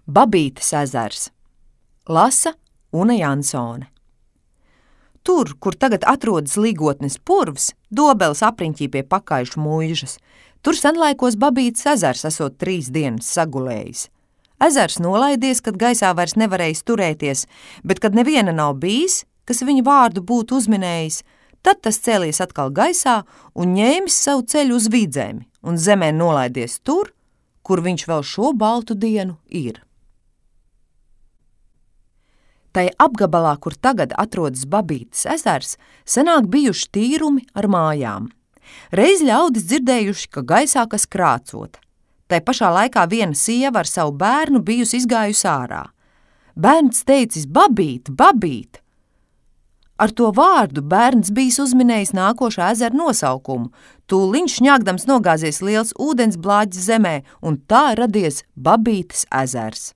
Babītes ezers. Lasa Una Jansone. Tur, kur tagad atrodas Ligotnes purvs, Dobeles apriņķī pie Pakaišu muižas, tur senlaikos Babītes ezers esot 3 dienas sagulējis. Ezers nolaidies, kad gaisā vairs nevarējis turēties, bet kad neviena nav bijis, kas viņa vārdu būtu uzminējis, tad tas cēlies atkal gaisā un ņēmis savu ceļu uz Vidzemi un zemē nolaidies tur, kur viņš vēl šo baltu dienu ir. Tai apgabalā, kur tagad atrodas Babītes ezers, senāk bijuši tīrumi ar mājām. Reiz ļaudis dzirdējuši, ka gaisā kas krācot. Tai pašā laikā viena sieva ar savu bērnu bijusi izgājusi ārā. Bērns teicis: Babīt, Babīt! Ar to vārdu bērns bijis uzminējis nākošā ezera nosaukumu. Tūliņš šņāgdams nogāzies liels ūdens blāģis zemē, un tā radies Babītes ezers.